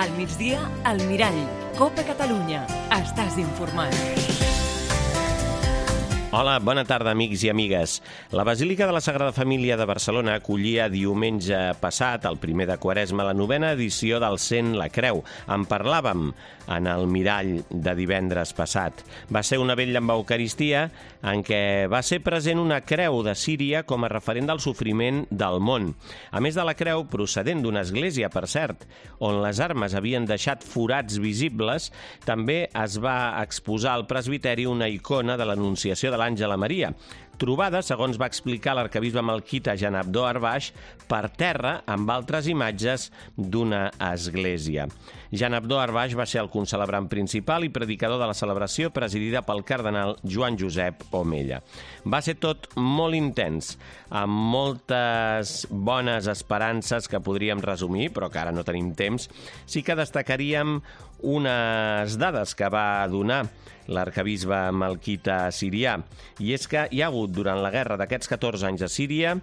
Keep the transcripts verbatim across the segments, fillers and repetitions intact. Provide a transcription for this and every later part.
Al migdia, al Mirall. Copa Catalunya. Estàs informat. Hola, bona tarda, amics i amigues. La Basílica de la Sagrada Família de Barcelona acollia diumenge passat, el primer de Quaresma, la novena edició del Cent la Creu. En parlàvem en el Mirall de divendres passat. Va ser una vetlla amb Eucaristia en què va ser present una creu de Síria com a referent del sofriment del món. A més de la creu, procedent d'una església, per cert, on les armes havien deixat forats visibles, també es va exposar al presbiteri una icona de l'Anunciació de l'Àngel a Maria, trobada, segons va explicar l'arquebisbe malquita Jan Abdó Arbaix, per terra amb altres imatges d'una església. Jan Abdó Arbaix va ser el concelebrant principal i predicador de la celebració, presidida pel cardenal Joan Josep Omella. Va ser tot molt intens, amb moltes bones esperances que podríem resumir, però que ara no tenim temps. Sí que destacaríem unes dades que va donar l'arquebisbe malquita sirià, i és que hi ha hagut durant la guerra d'aquests catorze anys a Síria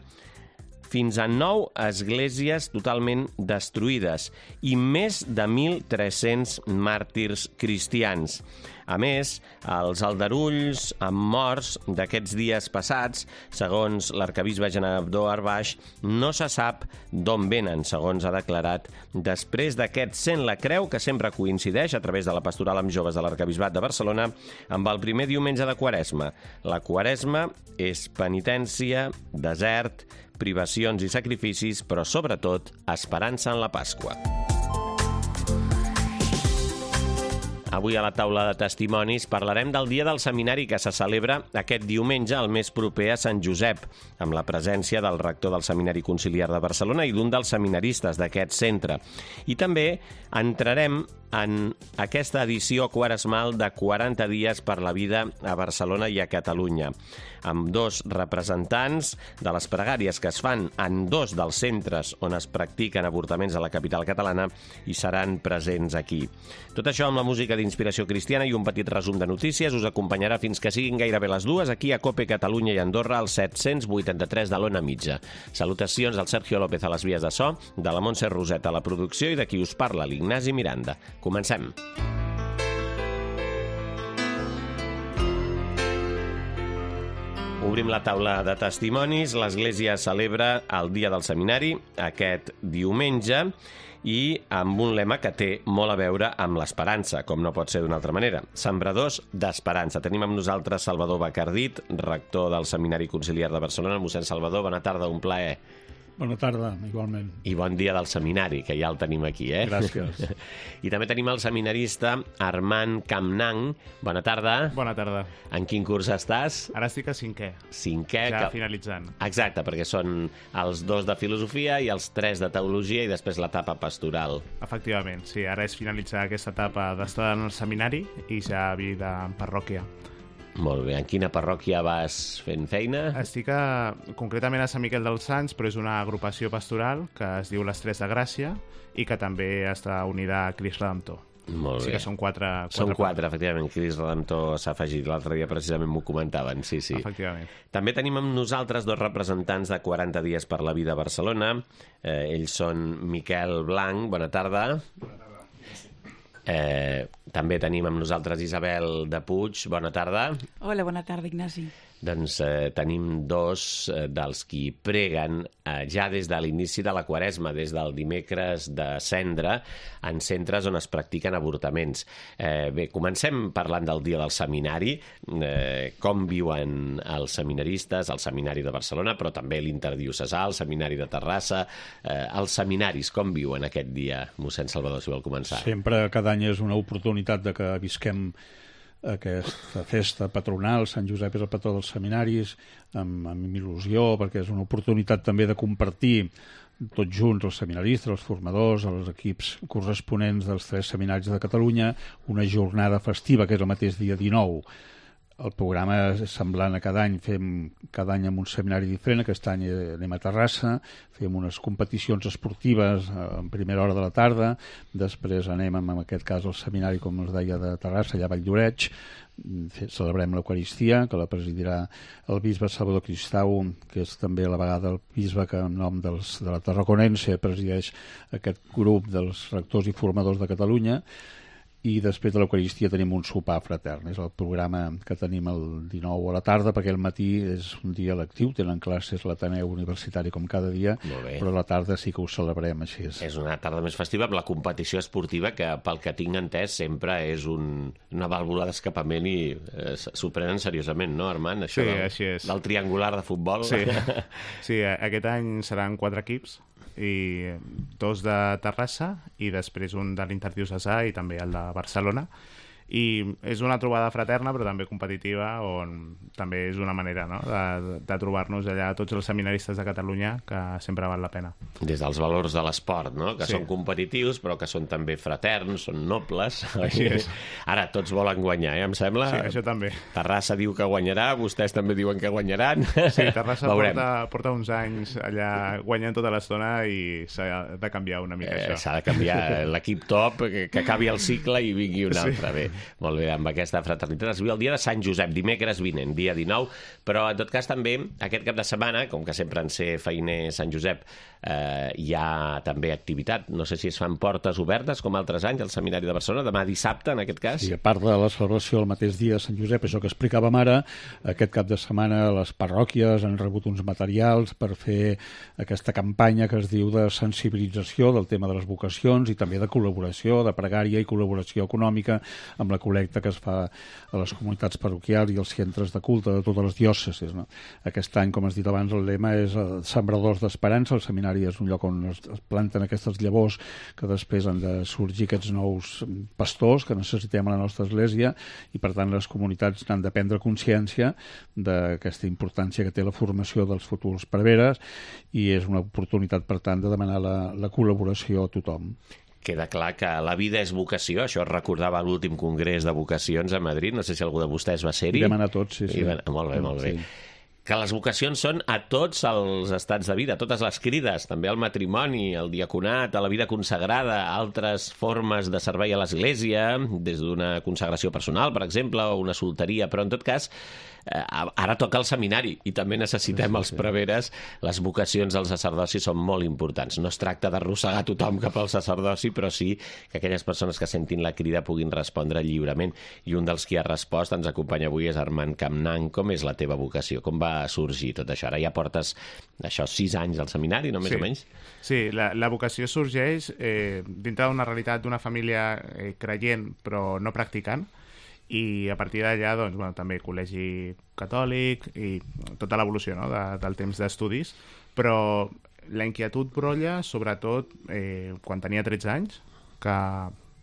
fins a nou esglésies totalment destruïdes i més de mil tres-cents màrtirs cristians. A més, els aldarulls amb morts d'aquests dies passats, segons l'arquebisbe Jan Abdó Arbaix, no se sap d'on venen, segons ha declarat, després d'aquest Cent la Creu, que sempre coincideix a través de la pastoral amb joves de l'arquebisbat de Barcelona, amb el primer diumenge de Quaresma. La Quaresma és penitència, desert, privacions i sacrificis, però sobretot esperança en la Pasqua. Avui a la taula de testimonis parlarem del Dia del Seminari que se celebra aquest diumenge al mes proper a Sant Josep, amb la presència del rector del Seminari Conciliar de Barcelona i d'un dels seminaristes d'aquest centre. I també entrarem en aquesta edició quaresmal de quaranta dies per la vida a Barcelona i a Catalunya, amb dos representants de les pregàries que es fan en dos dels centres on es practiquen avortaments a la capital catalana i seran presents aquí. Tot això amb la música d'inspiració cristiana i un petit resum de notícies us acompanyarà fins que siguin gairebé les dues aquí a Cope Catalunya i Andorra al set-cents vuitanta-tres de l'Ona Mitja. Salutacions del Sergio López a les vies de so, de la Montse Roset a la producció i de qui us parla, l'Ignasi Miranda. Comencem. Obrim la taula de testimonis. L'Església celebra el Dia del Seminari aquest diumenge i amb un lema que té molt a veure amb l'esperança, com no pot ser d'una altra manera. Sembradors d'esperança. Tenim amb nosaltres Salvador Bacardit, rector del Seminari Conciliar de Barcelona. Mossèn Salvador, bona tarda, un plaer. Bona tarda, igualment. I bon dia del seminari, que ja el tenim aquí, eh? Gràcies. I també tenim el seminarista Armand Campnang. Bona tarda. Bona tarda. En quin curs estàs? Ara estic a cinquè. Cinquè. Ja que... finalitzant. Exacte, perquè són els dos de filosofia i els tres de teologia i després l'etapa pastoral. Efectivament, sí. Ara és finalitzar aquesta etapa d'estar en el seminari i ja vida en parròquia. Molt bé. En quina parròquia vas fent feina? Estic a, concretament a Sant Miquel dels Sants, però és una agrupació pastoral que es diu Les Tres de Gràcia i que també està unida a Crist Redemptor. Molt bé. Sí que són quatre... quatre són quatre, efectivament. Crist Redemptor s'ha afegit. L'altre dia precisament m'ho comentaven, sí, sí. Efectivament. També tenim amb nosaltres dos representants de quaranta dies per la vida a Barcelona. Eh, ells són Miquel Blanc, bona tarda. Bona tarda. Eh, també tenim amb nosaltres Isabel de Puig, bona tarda. Hola, bona tarda, Ignasi. Doncs eh, tenim dos eh, dels qui preguen eh, ja des de l'inici de la Quaresma, des del dimecres de Cendra, en centres on es practiquen avortaments. Eh, bé, comencem parlant del Dia del Seminari, eh, com viuen els seminaristes, el Seminari de Barcelona, però també l'Interdiocesà, el Seminari de Terrassa, eh, els seminaris, com viuen aquest dia? Mossèn Salvador, si vol començar. Sempre, cada any és una oportunitat de que visquem aquesta festa patronal. Sant Josep és el patró dels seminaris, amb, amb il·lusió, perquè és una oportunitat també de compartir tots junts, els seminaristes, els formadors, els equips corresponents dels tres seminaris de Catalunya, una jornada festiva, que és el mateix dia dinou. el programa és semblant a cada any, fem cada any amb un seminari diferent. Aquest any anem a Terrassa, fem unes competicions esportives en primera hora de la tarda, després anem, en aquest cas, al seminari, com us deia, de Terrassa, allà a Valldoreix, celebrem l'Eucaristia, que la presidirà el bisbe Salvador Cristau, que és també a la vegada el bisbe que en nom dels, de la Tarraconense presideix aquest grup dels rectors i formadors de Catalunya. I després de l'Eucaristia tenim un sopar fratern. És el programa que tenim el dinou a la tarda, perquè el matí és un dia lectiu, tenen classes a l'Ateneu Universitari com cada dia, però a la tarda sí que ho celebrem així. És. és una tarda més festiva amb la competició esportiva, que pel que tinc entès sempre és un, una vàlvula d'escapament i eh, s'ho prenen seriosament, no, Armand? Això sí, del, així és. Del triangular de futbol. Sí. sí, aquest any seran quatre equips, i dos de Terrassa i després un de l'Interdiocesà i també el de Barcelona, i és una trobada fraterna però també competitiva, on també és una manera, no?, de, de trobar-nos allà tots els seminaristes de Catalunya, que sempre val la pena. Des dels valors de l'esport, no?, que sí. són competitius però que són també fraterns, són nobles. Així és. Ara tots volen guanyar, eh, em sembla. Sí, això també. Terrassa diu que guanyarà, vostès també diuen que guanyaran. Sí, Terrassa porta, porta uns anys allà guanyant tota l'estona i s'ha de canviar una mica, eh, això. S'ha de canviar l'equip top, que, que acabi el cicle i vingui un sí. altre. Bé, molt bé, amb aquesta fraternitat. Es viu el dia de Sant Josep, dimecres vinent, dia dinou, però en tot cas també aquest cap de setmana, com que sempre en ser feiner Sant Josep, eh, hi ha també activitat. No sé si es fan portes obertes, com altres anys, al Seminari de Barcelona, demà dissabte, en aquest cas. Sí, a part de la celebració el mateix dia de Sant Josep, això que explicàvem ara, aquest cap de setmana les parròquies han rebut uns materials per fer aquesta campanya que es diu de sensibilització del tema de les vocacions i també de col·laboració, de pregària i col·laboració econòmica amb la col·lecta que es fa a les comunitats parroquials i als centres de culte de totes les diòcesis, no? Aquest any, com has dit abans, el lema és Sembradors d'Esperança. El seminari és un lloc on es planten aquestes llavors que després han de sorgir aquests nous pastors que necessitem a la nostra església, i per tant les comunitats n'han de prendre consciència d'aquesta importància que té la formació dels futurs preveres, i és una oportunitat, per tant, de demanar la, la col·laboració a tothom. Queda clar que la vida és vocació, això es recordava a l'últim congrés de vocacions a Madrid, no sé si algú de vostès va ser-hi. Vam anar tots, sí, sí. I, molt bé, molt bé. Sí. Que les vocacions són a tots els estats de vida, a totes les crides, també al matrimoni, al diaconat, a la vida consagrada, a altres formes de servei a l'Església, des d'una consagració personal, per exemple, o una solteria, però en tot cas, eh, ara toca el seminari i també necessitem els preveres. Les vocacions del sacerdoci són molt importants. No es tracta d'arrossegar tothom cap al sacerdoci, però sí que aquelles persones que sentin la crida puguin respondre lliurement. I un dels qui ha respost, ens acompanya avui, és Armand Capnan. Com és la teva vocació? Com va sorgir tot això? Ara ja portes això sis anys al seminari, no més sí. o menys? Sí, la, la vocació sorgeix eh, dintre d'una realitat d'una família eh, creient però no practicant, i a partir d'allà doncs, bueno, també col·legi catòlic i tota l'evolució, no?, de, del temps d'estudis, però la inquietud brolla sobretot eh, quan tenia tretze anys, que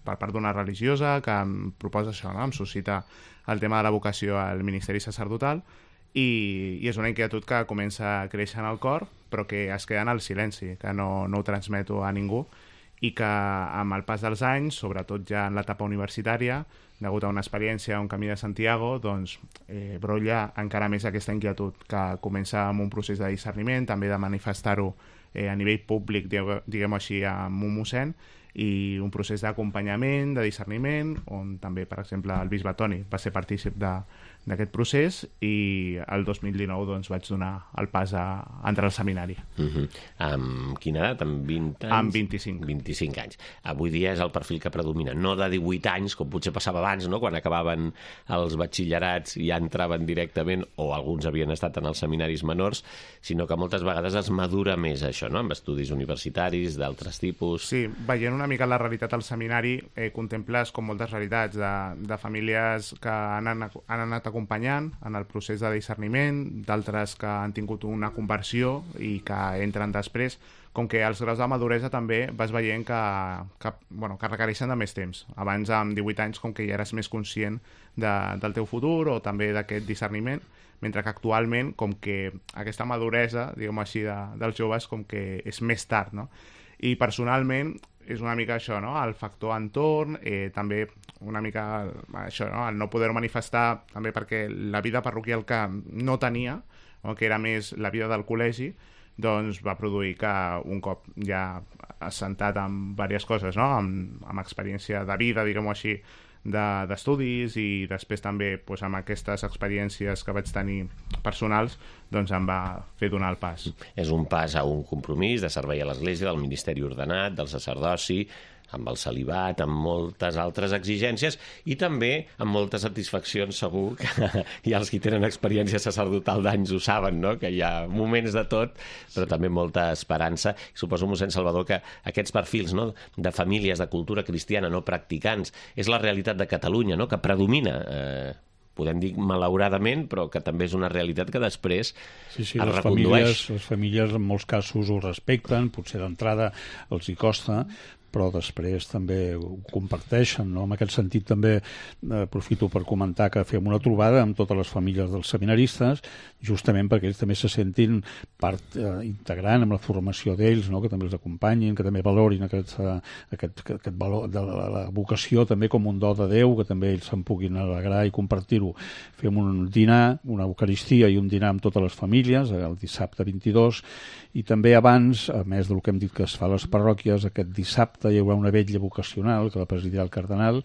per part d'una religiosa que em proposa això, no?, em suscita el tema de la vocació al ministeri sacerdotal, i, i és una inquietud que comença a créixer en el cor, però que es queda en el silenci, que no, no ho transmeto a ningú, i que amb el pas dels anys, sobretot ja en l'etapa universitària, degut a una experiència, un camí de Santiago, doncs eh, brolla encara més aquesta inquietud, que comença amb un procés de discerniment, també de manifestar-ho eh, a nivell públic, diguem-ho així, amb un mossèn, i un procés d'acompanyament, de discerniment, on també, per exemple, el bisbe Toni va ser partícip d'aquest procés, i el dos mil dinou doncs, vaig donar el pas a, a entrar al seminari. Uh-huh. Amb quina edat? Amb vint anys? Amb vint-i-cinc. vint-i-cinc anys. Avui dia és el perfil que predomina, no de divuit anys, com potser passava abans, no?, quan acabaven els batxillerats i ja entraven directament, o alguns havien estat en els seminaris menors, sinó que moltes vegades es madura més això, no?, amb estudis universitaris, d'altres tipus. Sí, veient una una mica la realitat al seminari, eh, contemples com moltes realitats de, de famílies que han, han anat acompanyant en el procés de discerniment, d'altres que han tingut una conversió i que entren després, com que els graus de maduresa també vas veient que, que, bueno, que requereixen de més temps. Abans, amb divuit anys, com que ja eres més conscient de, del teu futur o també d'aquest discerniment, mentre que actualment, com que aquesta maduresa, diguem així, de, dels joves, com que és més tard, no? I personalment, és una mica això, no? El factor entorn, eh, també una mica això, no? El no poder manifestar, també perquè la vida parroquial que no tenia, no? Que era més la vida del col·legi, doncs va produir que un cop ja assentat amb diverses coses, no? amb, amb experiència de vida, diguem-ho així, d'estudis de, i després també doncs, amb aquestes experiències que vaig tenir personals, doncs em va fer donar el pas. És un pas a un compromís de servei a l'Església, del ministeri ordenat, del sacerdoci, amb el celibat, amb moltes altres exigències i també amb moltes satisfaccions, segur que hi ha els que tenen experiència sacerdotal d'anys ho saben, no? Que hi ha moments de tot, però també molta esperança. Suposo, mossèn Salvador, que aquests perfils, no? De famílies de cultura cristiana no practicants és la realitat de Catalunya, no? Que predomina, eh, podem dir malauradament, però que també és una realitat que després sí, sí, es les recondueix. Famílies, les famílies en molts casos ho respecten, potser d'entrada els hi costa, però després també ho comparteixen, no? En aquest sentit també eh, aprofito per comentar que fem una trobada amb totes les famílies dels seminaristes, justament perquè ells també se sentin part eh, integrant amb la formació d'ells, no? Que també els acompanyin, que també valorin aquest, eh, aquest, aquest valor de la, la vocació també com un do de Déu, que també ells se'n puguin alegrar i compartir-ho. Fem un dinar, una eucaristia i un dinar amb totes les famílies, el dissabte vint-i-dos, i també abans, a més del que hem dit que es fa a les parròquies, aquest dissabte hi haurà una vetlla vocacional que la presidirà el cardenal,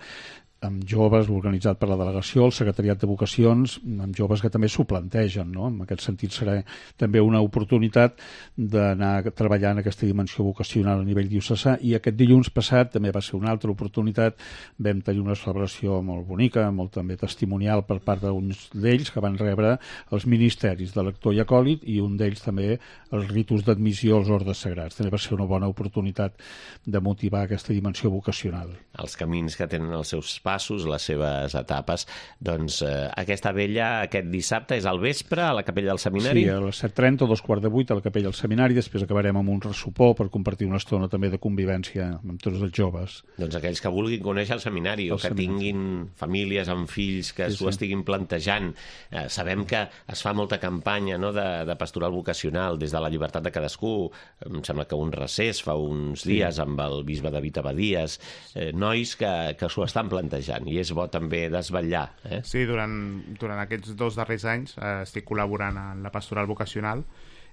amb joves, organitzat per la delegació, el secretariat de vocacions, amb joves que també s'ho plantegen, no? En aquest sentit serà també una oportunitat d'anar treballant aquesta dimensió vocacional a nivell diocesà, i aquest dilluns passat també va ser una altra oportunitat, vam tenir una celebració molt bonica, molt també testimonial per part d'uns d'ells que van rebre els ministeris de lector i acòlit, i un d'ells també els ritus d'admissió als ordes sagrats. També va ser una bona oportunitat de motivar aquesta dimensió vocacional. Els camins que tenen els seus passos, les seves etapes. Doncs eh, aquesta vella, aquest dissabte, és al vespre a la capella del seminari? Sí, a les set trenta o dos quarts de vuit a la capella del seminari, després acabarem amb un ressupor per compartir una estona també de convivència amb tots els joves. Doncs aquells que vulguin conèixer el seminari el o que seminari. tinguin famílies amb fills que s'ho sí, sí. estiguin plantejant. Eh, sabem que es fa molta campanya, no?, de, de pastoral vocacional des de la llibertat de cadascú. Em sembla que un recés fa uns sí. dies amb el bisbe David Abadies, eh, nois que, que s'ho estan plantejant, i és bo també desvetllar. Eh? Sí, durant, durant aquests dos darrers anys eh, estic col·laborant en la pastoral vocacional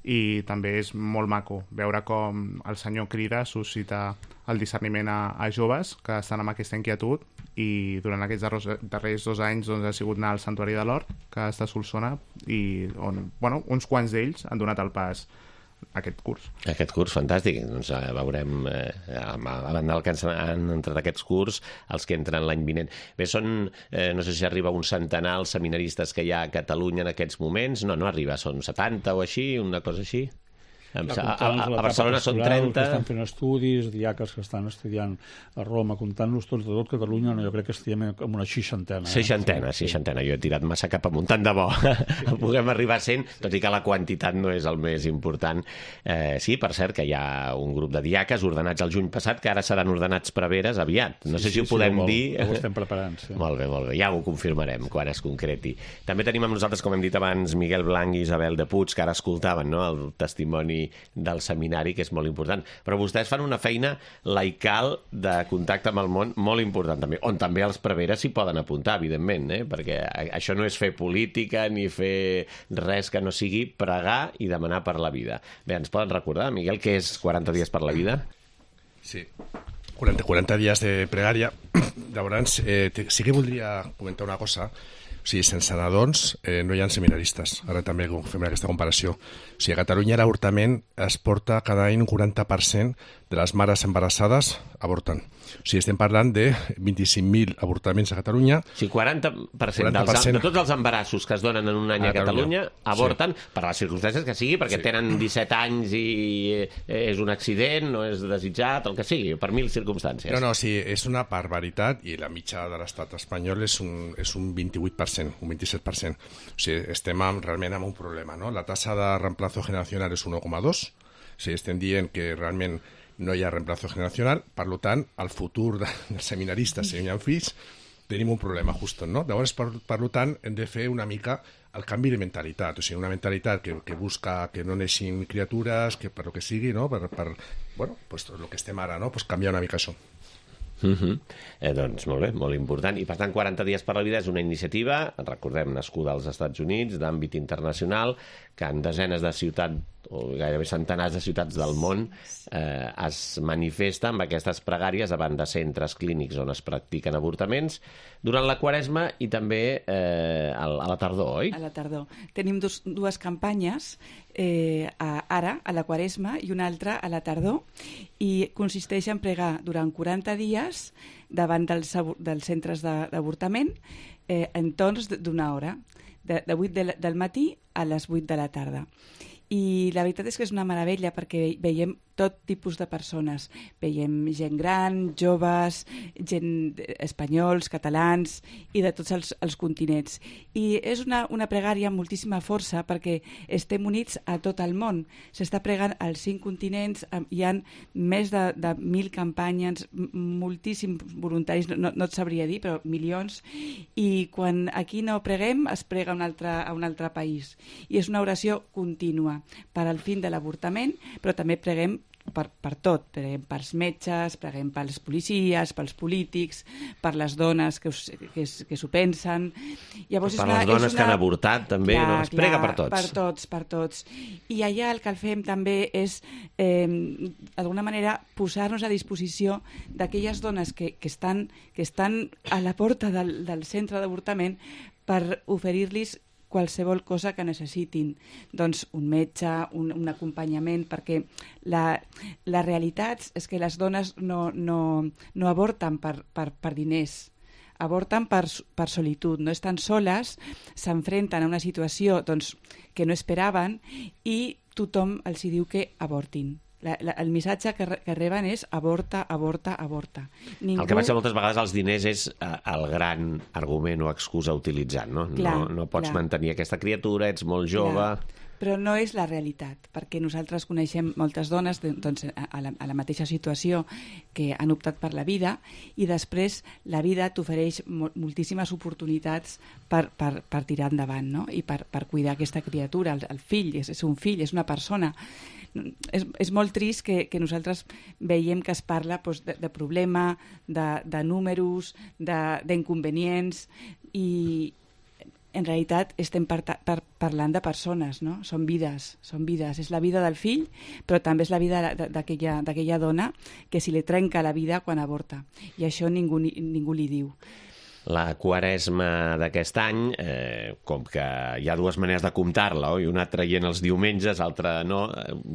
i també és molt maco veure com el Senyor crida, suscita el discerniment a, a joves que estan amb aquesta inquietud, i durant aquests darrers, darrers dos anys doncs, ha sigut anar al Santuari de l'Hort, que està a Solsona, i on, bueno, uns quants d'ells han donat el pas aquest curs. Aquest curs, fantàstic. Doncs eh, veurem, eh, a banda del que han entrat aquests curs, els que entren l'any vinent. Bé, són, eh, no sé si arriba un centenar els seminaristes que hi ha a Catalunya en aquests moments. No, no arriba, són setanta o així, una cosa així. A, a, a Barcelona són trenta. Que estan fent estudis, diaques que estan estudiant a Roma, comptant-los tots de tot Catalunya, no, jo crec que estem en una seixantena. Eh? Seixantena, sí. seixantena. Jo he tirat massa cap amunt, tant de bo. Sí. Puguem arribar a cent, tot i que la quantitat no és el més important. Eh, sí, per cert, que hi ha un grup de diaques ordenats el juny passat, que ara seran ordenats preveres aviat. No sí, sé si sí, ho podem sí, dir. Ho estem preparant, sí. Molt bé, molt bé. Ja ho confirmarem quan es concreti. També tenim amb nosaltres, com hem dit abans, Miguel Blanc i Isabel de Puig, que ara escoltaven, no?, el testimoni del seminari, que és molt important. Però vostès fan una feina laical de contacte amb el món molt important també, on també els preveres s'hi poden apuntar, evidentment, eh? Perquè això no és fer política ni fer res que no sigui pregar i demanar per la vida. Bé, ens poden recordar, Miguel, què és quaranta dies per la vida? Sí, quaranta, quaranta dies de pregària. Llavors, eh, sí que voldria comentar una cosa. O sigui, sense nadons eh, no hi ha seminaristes. Ara també fem aquesta comparació. O sigui, a Catalunya l'avortament es porta cada any un quaranta per cent de les mares embarassades avorten. O sigui, estem parlant de vint-i-cinc mil avortaments a Catalunya. O sigui, quaranta per cent, quaranta per cent dels, de tots els embarassos que es donen en un any a, a Catalunya avorten sí. per les circumstàncies que sigui, perquè sí. tenen disset anys i és un accident, no és desitjat, el que sigui, per mil circumstàncies. No, no, sí, és una barbaritat, i la mitja de l'estat espanyol és un, és un vint-i-vuit per cent, un vint-i-set per cent. O sigui, estem amb, realment amb un problema, no? La tasa de reemplazo generacional és un un coma dos. O sigui, estem dient que realment no hi ha reemplazo generacional, per tant, el futur dels seminaristes, si no hi ha fills, tenim un problema, just, no? Llavors, per, per tant, hem de fer una mica el canvi de mentalitat, o sigui, una mentalitat que, que busca que no neixin criatures, que per lo que sigui, no? Per, per bueno, pues, el que estem ara, no? Pues canviar una mica això. Uh-huh. eh, doncs molt bé, molt important. I per tant, quaranta dies per la vida és una iniciativa, recordem, nascuda als Estats Units, d'àmbit internacional, que en desenes de ciutats o gairebé centenars de ciutats del món eh, es manifesta amb aquestes pregàries davant de centres clínics on es practiquen avortaments durant la Quaresma i també eh, a la tardor, oi? A la tardor. Tenim dos, dues campanyes, eh, a, ara, a la Quaresma, i una altra a la tardor, i consisteix en pregar durant quaranta dies davant dels, dels centres d'avortament eh, en torns d'una hora, de, de vuit de, del matí a les vuit de la tarda. I la veritat és que és una meravella perquè veiem tot tipus de persones. Veiem gent gran, joves, gent espanyols, catalans i de tots els, els continents. I és una, una pregària amb moltíssima força perquè estem units a tot el món. S'està pregant als cinc continents, hi ha més de, de mil campanyes, moltíssims voluntaris, no, no et sabria dir, però milions. I quan aquí no preguem, es prega a un altre, a un altre país. I és una oració contínua per al fin de l'avortament, però també preguem per, per tot, preguem pels metges, preguem pels policies, pels polítics, per les dones que, us, que, que s'ho pensen. Llavors, per és una, les dones és una... que han avortat, també, clar, no? Es clar, prega per tots. Per tots, per tots. I allà el que fem també és, eh, d'alguna manera, posar-nos a disposició d'aquelles dones que, que, estan, que estan a la porta del, del centre d'avortament per oferir-los qualsevol cosa que necessitin, doncs un metge, un, un acompanyament, perquè la, la realitat és que les dones no, no, no avorten per, per, per diners, avorten per, per solitud, no estan soles, s'enfrenten a una situació doncs, que no esperaven i tothom els hi diu que avortin. La, la, el missatge que, re, que reben és avorta, avorta, avorta. Ningú... El que passa moltes vegades als diners és eh, el gran argument o excusa utilitzat, no? Clar, no, no pots clar. mantenir aquesta criatura, ets molt jove... Clar. Però no és la realitat, perquè nosaltres coneixem moltes dones doncs, a, la, a la mateixa situació que han optat per la vida i després la vida t'ofereix moltíssimes oportunitats per, per, per tirar endavant, no? I per, per cuidar aquesta criatura, el, el fill, és, és un fill, és una persona. És, és molt trist que, que nosaltres veiem que es parla doncs, de, de problema, de, de números, d'inconvenients i en realitat estem par par parlant de persones, no? Són vides, són vides. És la vida del fill, però també és la vida d'aquella dona que si li trenca la vida quan avorta. I això ningú, ningú li diu. La Quaresma d'aquest any, eh, com que hi ha dues maneres de comptar-la, oi? Una traient els diumenges, l'altra no,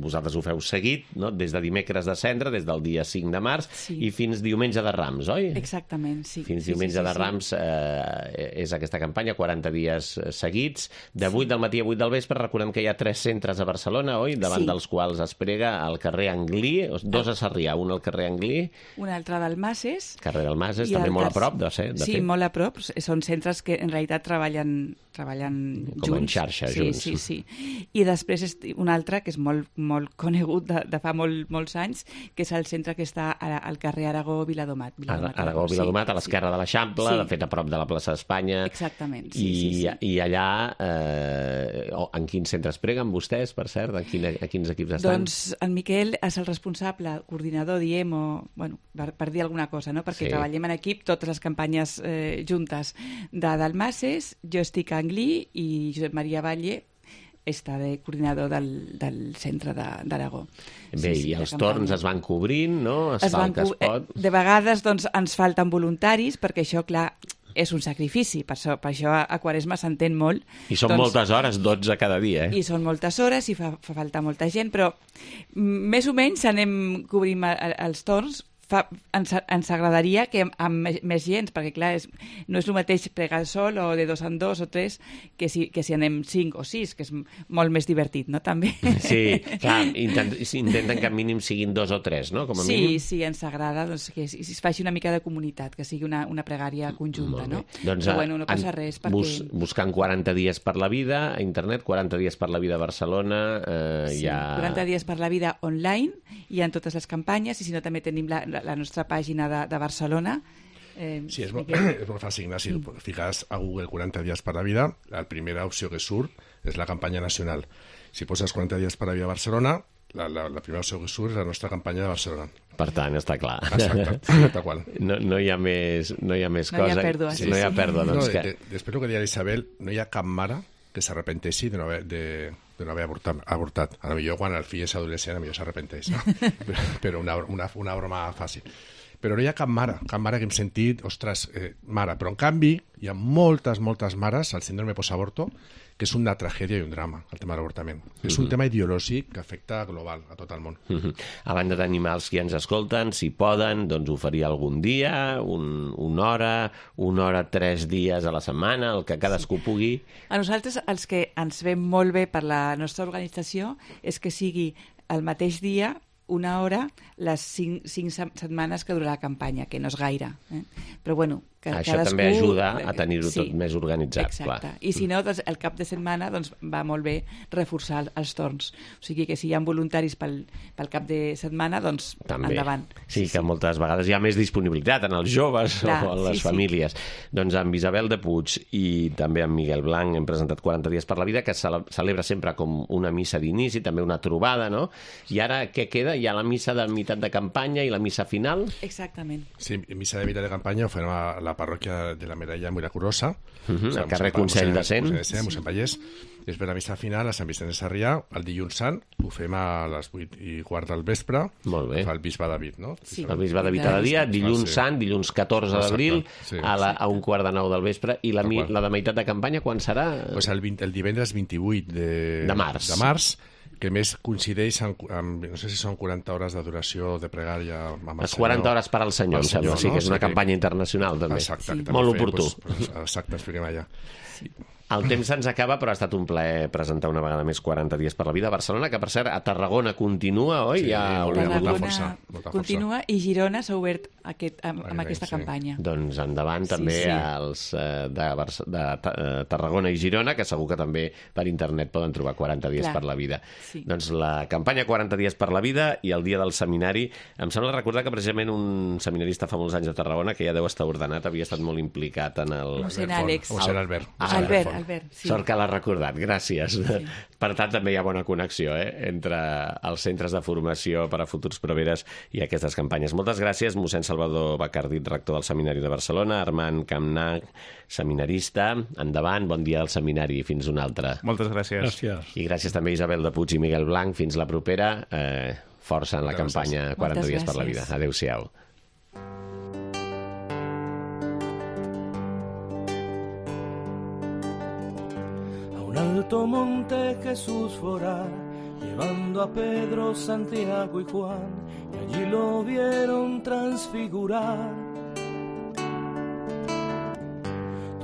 vosaltres ho feu seguit, no? Des de dimecres de Cendra, des del dia cinc de març, sí. I fins diumenge de Rams, oi? Exactament, sí. Fins sí, diumenge sí, sí, de Rams eh, és aquesta campanya, quaranta dies seguits, de vuit sí. del matí a vuit del vespre. Recordem que hi ha tres centres a Barcelona, oi? Davant sí. dels quals es prega al carrer Anglí, dos a Sarrià, un al carrer Anglí. Un altre al Masses. Carrer del Masses, també molt a prop, de ser, de sí, fet. molt a prop, són centres que en realitat treballen, treballen com junts. en xarxa, sí, junts. Sí, sí. I després és un altre que és molt, molt conegut de, de fa molt, molts anys, que és el centre que està al carrer Aragó-Viladomat. Viladomat Aragó-Viladomat, sí, a l'esquerra sí. de l'Eixample, sí. de fet a prop de la plaça d'Espanya. Exactament, sí, I, sí, sí. I allà, eh, en quins centres preguen vostès, per cert? En quin, a quins equips estan? Doncs en Miquel és el responsable, coordinador, diem, o, bueno, per, per dir alguna cosa, no? Perquè sí. treballem en equip totes les campanyes eh, juntes de Dalmases, jo estic a Anglí i Josep Maria Valle està de coordinador del, del centre d'Aragó. Bé, sí, sí, i els torns es van cobrint, no? Es, es fa el que es pot. De vegades doncs, ens falten voluntaris, perquè això, clar, és un sacrifici, per això, per això a Quaresma s'entén molt. I són doncs, moltes hores, dotze cada dia, eh? I són moltes hores i fa, fa falta molta gent, però més o menys anem cobrint els torns. Fa, ens, ens agradaria que amb, amb més gent, perquè clar, és, no és el mateix pregar sol o de dos en dos o tres que si, que si anem cinc o sis, que és molt més divertit, no? També. Sí, clar, intent, intenten que al mínim siguin dos o tres, no? Com a sí, mínim. Sí, ens agrada doncs, que es, es faci una mica de comunitat, que sigui una, una pregària conjunta, no? Doncs, però bueno, no passa res perquè... Bus, buscant quaranta dies per la vida a internet, quaranta dies per la vida a Barcelona, eh, sí, hi ha... quaranta dies per la vida online, hi ha totes les campanyes, i si no també tenim la, la, la nostra pàgina de, de Barcelona, Eh, Sí, és molt, Miquel. és molt fàcil, Ignasi. Fiques a Google quaranta dies per la vida, la primera opció que surt és la campanya nacional. Si poses quaranta dies per la vida a Barcelona, la, la, la primera opció que surt és la nostra campanya de Barcelona. Per tant, està clar. Exacte, tal qual. No, no hi ha més, no hi ha més No hi ha cosa. pèrdua, Sí, sí, no hi ha sí. pèrdua, No, doncs de, que... de, després el que deia l'Isabel, no hi ha cap mare que s'arrepenteixi de no haver, de, de no haver avortat, avortat. A lo millor quan el fill és adolescent, a millor s'arrepenteix, no? però, però una, una, una broma fàcil. Però no hi ha cap mare, cap mare que hem sentit, ostres, eh, mare. Però en canvi, hi ha moltes, moltes mares al síndrome postaborto, que és una tragèdia i un drama, el tema de l'avortament. Mm-hmm. És un tema ideològic que afecta global a tot el món. Mhm. A banda d'animar els que ens escolten, si poden, doncs oferir algun dia, un, una hora, una hora tres dies a la setmana, el que cadascú pugui. A nosaltres, els que ens ve molt bé per la nostra organització, és que sigui el mateix dia, una hora, les cinc, cinc setmanes que durarà la campanya, que no és gaire. Eh? Però, bueno, que Això cadascú... també ajuda a tenir-ho tot més organitzat, exacte. clar. I si no, doncs, el cap de setmana doncs, va molt bé reforçar els torns. O sigui que si hi ha voluntaris pel, pel cap de setmana, doncs També. endavant. Sí, que moltes vegades hi ha més disponibilitat en els joves Clar, o en les sí, sí. famílies. Doncs amb Isabel de Puig i també amb Miguel Blanc hem presentat quaranta dies per la vida, que se celebra sempre com una missa d'inici, també una trobada, no? I ara què queda? Hi ha la missa de meitat de campanya i la missa final? Exactament. Sí, missa de mitad de campanya ho fem a la parròquia de la Medalla Miraculosa, Uh -huh, al carrer Consell de Cent. Consell de Cent, mossèn Pallès. Després la missa final a Sant Vicenç de Sarrià, el dilluns sant, ho fem a les vuit i quart del vespre. Molt bé. Fa el bisbe David, no? Sí. El bisbe de Vita de dia, dilluns sí. sant, dilluns catorze d'abril, Exacte, sí. a, la, a un quart de nou del vespre, i la, Tal mi, qual. la de meitat de campanya quan serà? Pues el, vint, el divendres vint-i-vuit de, De març. de març, que a més coincideix amb, amb, no sé si són quaranta hores de duració de pregària amb el Les quaranta hores per al senyor, Al em sembla. senyor, Sí, no? que és una Sí que- campanya internacional, també. Exacte, que també Molt fem, oportú. Pues, pues, exacte, ens fiquem allà. El temps se'ns acaba, però ha estat un plaer presentar una vegada més quaranta dies per la vida a Barcelona, que per cert, a Tarragona continua, oi? Sí, ja molt bé, haurem molta hagut- força, molta força. continua i Girona s'ha obert aquest, amb, amb Molt bé, aquesta sí. campanya. Doncs endavant Sí, també sí. als eh, de, Barce- de Ta- eh, Tarragona i Girona, que segur que també per internet poden trobar quaranta dies Clar. per la vida. Sí. Doncs la campanya quaranta dies per la vida i el dia del seminari. Em sembla recordar que precisament un seminarista fa molts anys a Tarragona, que ja deu estar ordenat, havia estat molt implicat en el... Mossèn Albert Font, Àlex. Mossèn Albert. Ah, Mossèn Albert, Font. Albert, sí. Sort que l'ha recordat, gràcies. Sí. Per tant, també hi ha bona connexió eh, entre els centres de formació per a futurs proveres i aquestes campanyes. Moltes gràcies, mossèn Salvador Bacardit, rector del Seminari de Barcelona, Armand Campnach, seminarista. Endavant, bon dia al seminari, fins un altre. Moltes gràcies. Gràcies. I gràcies també a Isabel de Puig i Miguel Blanc. Fins la propera. Eh, força en la Moltes campanya quaranta Moltes dies per la vida. gràcies. Adéu-siau. A un alto monte Jesús forá, llevando a Pedro, Santiago y Juan, y allí lo vieron transfigurar.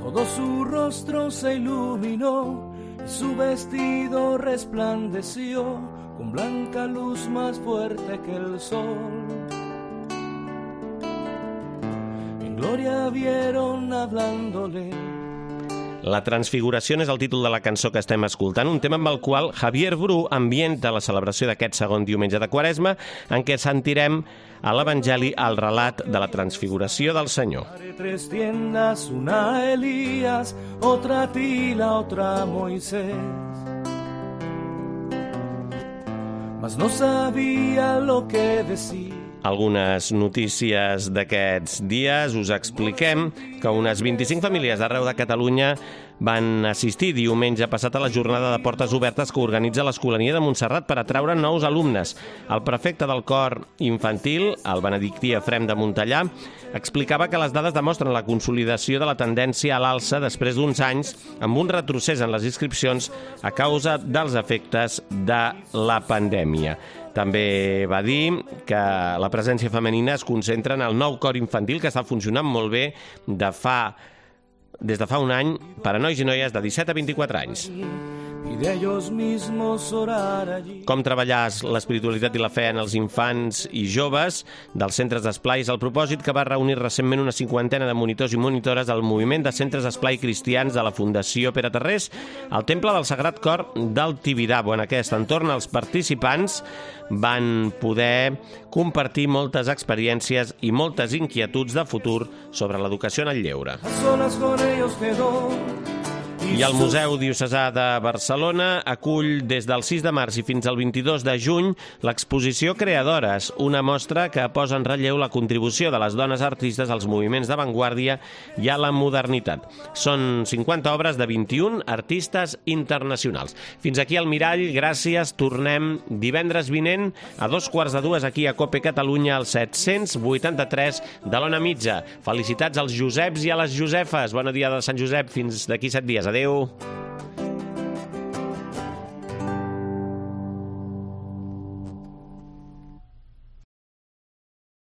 Todo su rostro se iluminó y su vestido resplandeció con blanca luz más fuerte que el sol. En gloria vieron hablándole. La transfiguració és el títol de la cançó que estem escoltant, un tema amb el qual Javier Bru ambienta la celebració d'aquest segon diumenge de Quaresma, en què sentirem a l'Evangeli el relat de la transfiguració del Senyor. Tres tiendas, una a Elías, otra a Tila, otra a Moisés. Mas no sabía lo que decía. Algunes notícies d'aquests dies. Us expliquem que unes vint-i-cinc famílies d'arreu de Catalunya van assistir diumenge passat a la jornada de portes obertes que organitza l'Escolania de Montserrat per atraure nous alumnes. El prefecte del cor infantil, el benedictí Efrem de Montellà, explicava que les dades demostren la consolidació de la tendència a l'alça després d'uns anys amb un retrocés en les inscripcions a causa dels efectes de la pandèmia. També va dir que la presència femenina es concentra en el nou cor infantil que està funcionant molt bé de fa, des de fa un any per a nois i noies de disset a vint-i-quatre anys. y de ellos mismos orar allí. Com treballar l'espiritualitat i la fe en els infants i joves dels centres d'esplai és el propòsit que va reunir recentment una cinquantena de monitors i monitores del moviment de centres d'esplai cristians de la Fundació Pere Tarrés al Temple del Sagrat Cor del Tibidabo. En aquest entorn, els participants van poder compartir moltes experiències i moltes inquietuds de futur sobre l'educació en el lleure. A solas con ellos quedó. I el Museu Diocesà de Barcelona acull des del sis de març i fins al vint-i-dos de juny l'exposició Creadores, una mostra que posa en relleu la contribució de les dones artistes als moviments d'avantguàrdia i a la modernitat. Són cinquanta obres de vint-i-un artistes internacionals. Fins aquí el Mirall, gràcies. Tornem divendres vinent a dos quarts de dues aquí a Cope Catalunya al set-cents vuitanta-tres de l'Ona Mitja. Felicitats als Joseps i a les Josefes. Bon dia de Sant Josep. Fins d'aquí set dies. Adéu.